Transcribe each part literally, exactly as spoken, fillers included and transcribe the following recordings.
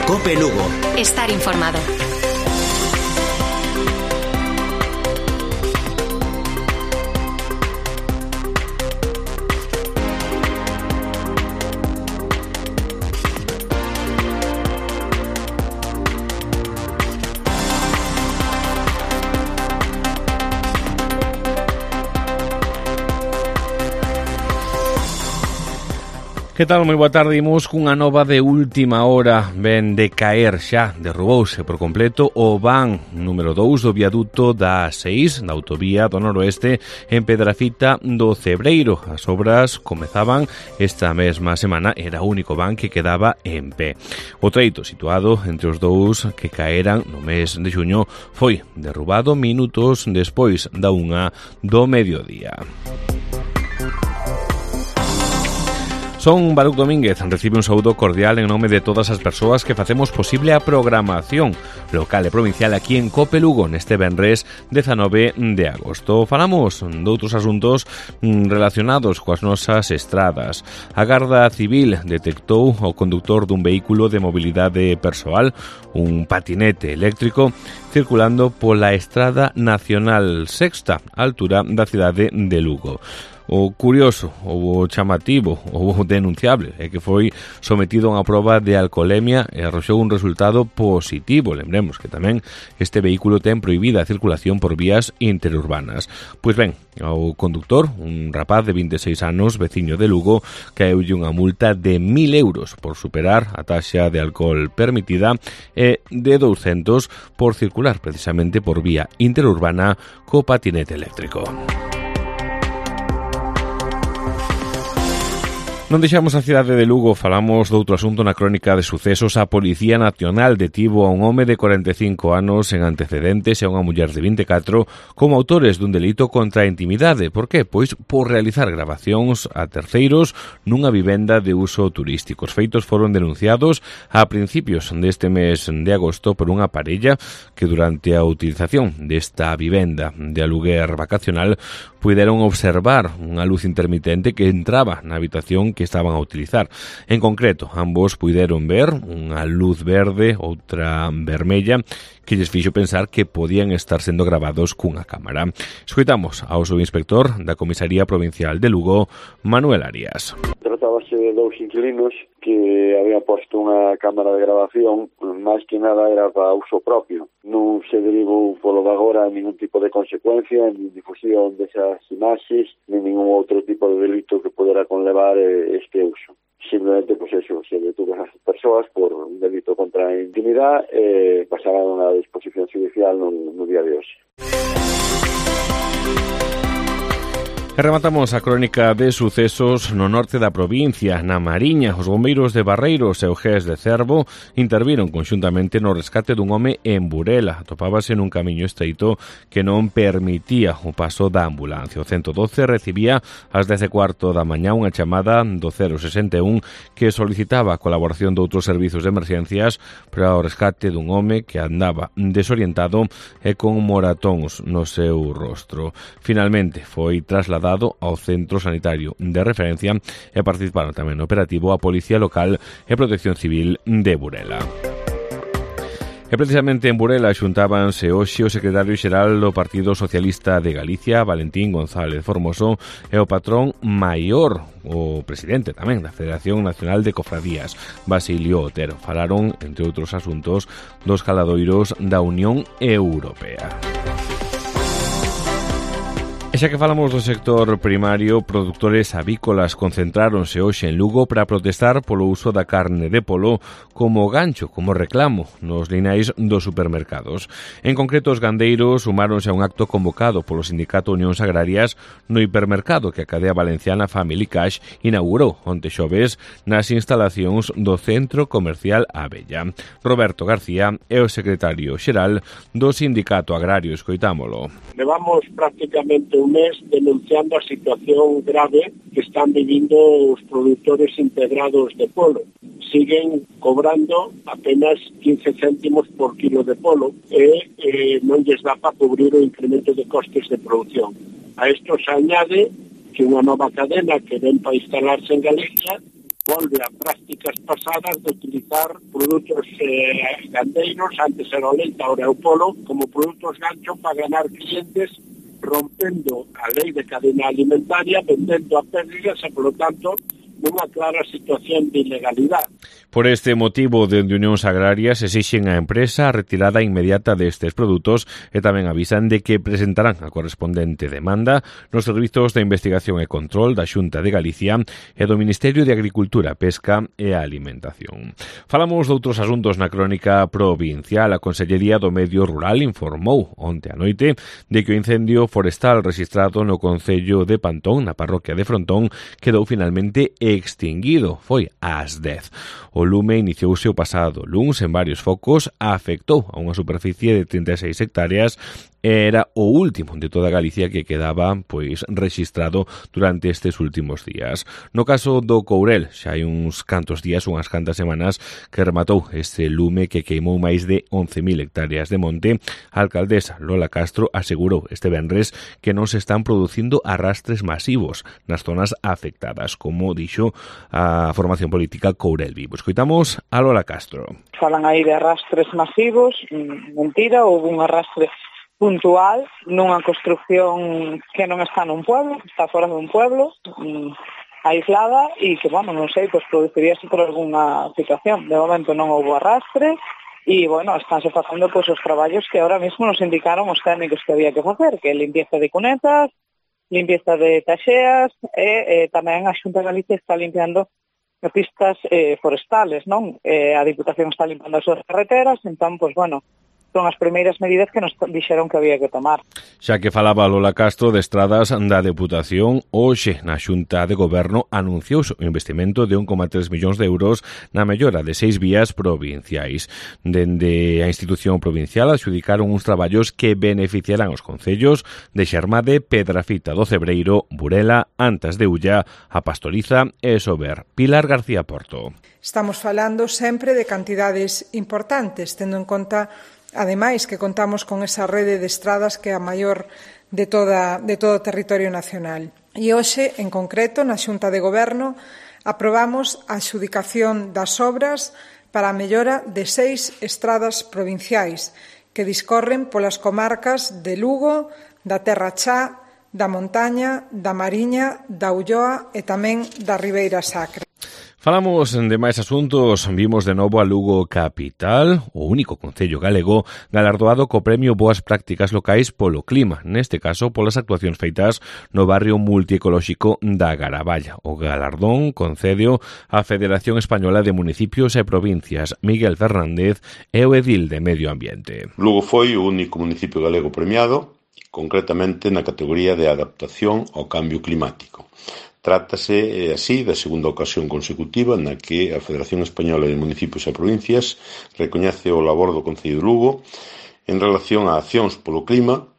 COPE Lugo. Estar informado. Que tal? Moi boa tarde. Imos cunha nova de última hora. Ven de caer xa, derrubouse por completo o van número dous do viaduto da A seis, da autovía do noroeste, en Pedrafita do Cebreiro. As obras comezaban esta mesma semana, era o único van que quedaba en pé. O treito situado entre os dous que caeran no mes de xuño foi derrubado minutos despois da unha do mediodía. Son Baruc Domínguez, recibe un saúdo cordial en nome de todas as persoas que facemos posible a programación local e provincial aquí en COPE Lugo neste venres dezanove de agosto. Falamos doutros asuntos relacionados coas nosas estradas. A Garda Civil detectou o conductor dun vehículo de mobilidade persoal, un patinete eléctrico, circulando pola Estrada Nacional Sexta, a altura da cidade de Lugo. O curioso, o chamativo, o denunciable é que foi sometido a unha proba de alcoholemia e arroxou un resultado positivo. Lembremos que tamén este vehículo ten prohibida a circulación por vías interurbanas. Pois ben, ao conductor, un rapaz de vinte e seis anos, veciño de Lugo, caeulle unha multa de mil euros por superar a taxa de alcohol permitida e de douscentos por circular precisamente por vía interurbana co patinete eléctrico. Non deixamos a cidade de Lugo, falamos doutro asunto na crónica de sucesos. A Policía Nacional detivo a un home de corenta e cinco anos en antecedentes e a unha muller de vinte e catro como autores dun delito contra a intimidade. Por que? Pois por realizar gravacións a terceiros nunha vivenda de uso turístico. Os feitos foron denunciados a principios deste mes de agosto por unha parella que durante a utilización desta vivenda de aluguer vacacional puderon observar unha luz intermitente que entraba na habitación que estaban a utilizar. En concreto, ambos puideron ver unha luz verde, outra vermella, que lles fixo pensar que podían estar sendo gravados cunha cámara. Escoitamos ao subinspector da Comisaría Provincial de Lugo, Manuel Arias. Tratábase de dous inquilinos que habían posto unha cámara de grabación, máis que nada era para uso propio. Non se derivou polo de agora ningún tipo de consecuencia, nin difusión desas imaxes, nin ningún outro tipo de delito que podera conlevar este uso. Simplemente, pues eso, se detuvo a esas persoas por un delito contra a intimidade e pasaron a disposición judicial no, no día de hoxe. E rematamos a crónica de sucesos no norte da provincia, na Mariña. Os bombeiros de Barreiros e o G E S de Cervo interviron conxuntamente no rescate dun home en Burela. Atopábase nun camiño estreito que non permitía o paso da ambulancia. O ciento doce recibía ás dez e cuarto da mañá unha chamada do cero sesenta e un que solicitaba a colaboración de outros servizos de emergencias para o rescate dun home que andaba desorientado e con moratóns no seu rostro. Finalmente foi trasladado ao centro sanitario de referencia e participaron tamén no operativo a Policía Local e Protección Civil de Burela. E precisamente en Burela xuntábanse hoxe o secretario xeral do Partido Socialista de Galicia, Valentín González Formoso, e o patrón maior, o presidente tamén da Federación Nacional de Cofradías, Basilio Otero. Falaron, entre outros asuntos, dos caladoiros da Unión Europea. E xa que falamos do sector primario, produtores avícolas concentráronse hoxe en Lugo para protestar polo uso da carne de polo como gancho, como reclamo nos linais dos supermercados. En concreto, os gandeiros sumáronse a un acto convocado polo Sindicato Unións Agrarias no hipermercado que a cadea valenciana Family Cash inaugurou onte xoves nas instalacións do Centro Comercial Abella. Roberto García é o secretario xeral do Sindicato Agrario. Escoitámolo. Levamos prácticamente un mes denunciando a situación grave que están vivindo os produtores integrados de polo. Siguen cobrando apenas quince céntimos por kilo de polo e eh, non lles dá para cubrir o incremento de costes de producción. A isto se añade que unha nova cadena que ven para instalarse en Galicia volve a prácticas pasadas de utilizar produtos eh, gandeiros, antes era o leite, ahora é o polo, como produtos gancho para ganar clientes, rompendo a lei de cadena alimentaria, vendendo a pérdidas e, por lo tanto, nunha clara situación de ilegalidade. Por este motivo, dende Unións Agrarias exixen á empresa a retirada inmediata destes produtos e tamén avisan de que presentarán a correspondente demanda nos servizos de investigación e control da Xunta de Galicia e do Ministerio de Agricultura, Pesca e Alimentación. Falamos de outros asuntos na crónica provincial. A Consellería do Medio Rural informou onte a noite de que o incendio forestal registrado no concello de Pantón, na parroquia de Frontón, quedou finalmente extinguido. Foi ás dez. O lume iniciouse o pasado luns en varios focos, afectou a unha superficie de trinta e seis hectáreas e era o último de toda Galicia que quedaba pois rexistrado durante estes últimos días. No caso do Courel, xa hai uns cantos días, unhas cantas semanas, que rematou este lume que queimou máis de once mil hectáreas de monte. A alcaldesa Lola Castro asegurou este venres que non se están producindo arrastres masivos nas zonas afectadas, como dixo a formación política Courel Vivo. Escoitamos a Lola Castro. Falan aí de arrastres masivos, mentira, houve un arrastre puntual nunha construcción que non está nun pueblo, está fora dun pueblo, aislada, e que, bueno, non sei, pois produciríase por algunha situación. De momento non houve arrastre, e, bueno, estánse facendo pois os traballos que ahora mesmo nos indicaron os técnicos que había que facer, que é limpieza de cunetas, limpieza de taxeas, e eh, tamén a Xunta de Galicia está limpiando pistas eh, forestales, non? Eh, a Diputación está limpando as súas carreteras, entón, pois, bueno, son as primeiras medidas que nos dixeron que había que tomar. Xa que falaba Lola Castro de estradas da Deputación, hoxe na Xunta de Goberno anunciouse o investimento de un coma tres millóns de euros na mellora de seis vías provinciais. Dende a institución provincial adxudicaron uns traballos que beneficiarán os concellos de Xermade, Pedrafita do Cebreiro, Burela, Antas de Ulla, A Pastoriza e Sober. Pilar García Porto. Estamos falando sempre de cantidades importantes, tendo en conta ademais que contamos con esa rede de estradas que é a maior de, toda, de todo o territorio nacional. E hoxe, en concreto, na Xunta de Goberno, aprobamos a adxudicación das obras para a mellora de seis estradas provinciais que discorren polas comarcas de Lugo, da Terra Chá, da Montaña, da Mariña, da Ulloa e tamén da Ribeira Sacra. Falamos de máis asuntos. Vimos de novo a Lugo capital, o único concello galego galardoado co premio Boas Prácticas Locais polo clima, neste caso polas actuacións feitas no barrio multiecolóxico da Garaballa. O galardón concedeo a Federación Española de Municipios e Provincias. Miguel Fernández é o edil de Medio Ambiente. Lugo foi o único municipio galego premiado, concretamente na categoría de adaptación ao cambio climático. Trátase, así, da segunda ocasión consecutiva na que a Federación Española de Municipios e Provincias recoñece o labor do Concello de Lugo en relación a accións polo clima,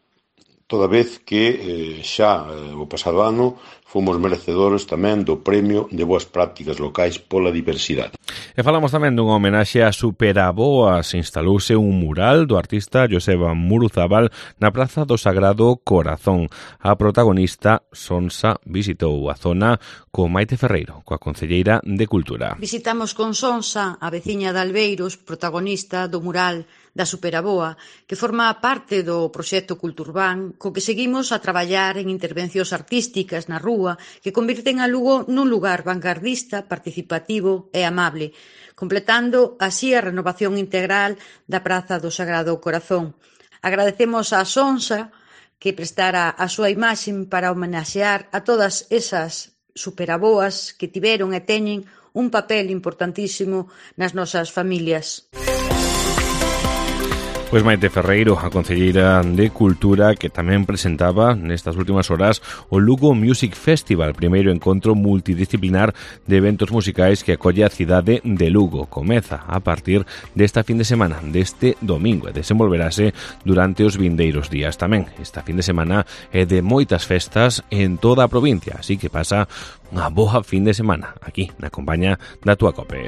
toda vez que eh, xa eh, o pasado ano fomos merecedores tamén do Premio de Boas Prácticas Locais pola Diversidade. E falamos tamén dunha homenaxe a Superaboas. Instalouse un mural do artista Joseba Muruzábal na Praza do Sagrado Corazón. A protagonista, Sonsa, visitou a zona con Maite Ferreiro, coa concelleira de Cultura. Visitamos con Sonsa, a veciña de Albeiros, protagonista do mural da Superaboa, que forma parte do proxecto Culturbán, co que seguimos a traballar en intervencións artísticas na rúa que convirten a Lugo nun lugar vanguardista, participativo e amable, completando así a renovación integral da Praza do Sagrado Corazón. Agradecemos a Sonsa que prestara a súa imaxe para homenaxear a todas esas superaboas que tiveron e teñen un papel importantísimo nas nosas familias. Pois Maite Ferreiro, a concelleira de Cultura, que tamén presentaba nestas últimas horas o Lugo Music Festival, primeiro encontro multidisciplinar de eventos musicais que acolle a cidade de Lugo. Comeza a partir desta fin de semana, deste domingo, e desenvolverase durante os vindeiros días tamén. Esta fin de semana é de moitas festas en toda a provincia, así que pasa unha boa fin de semana aquí na compañía da túa COPE.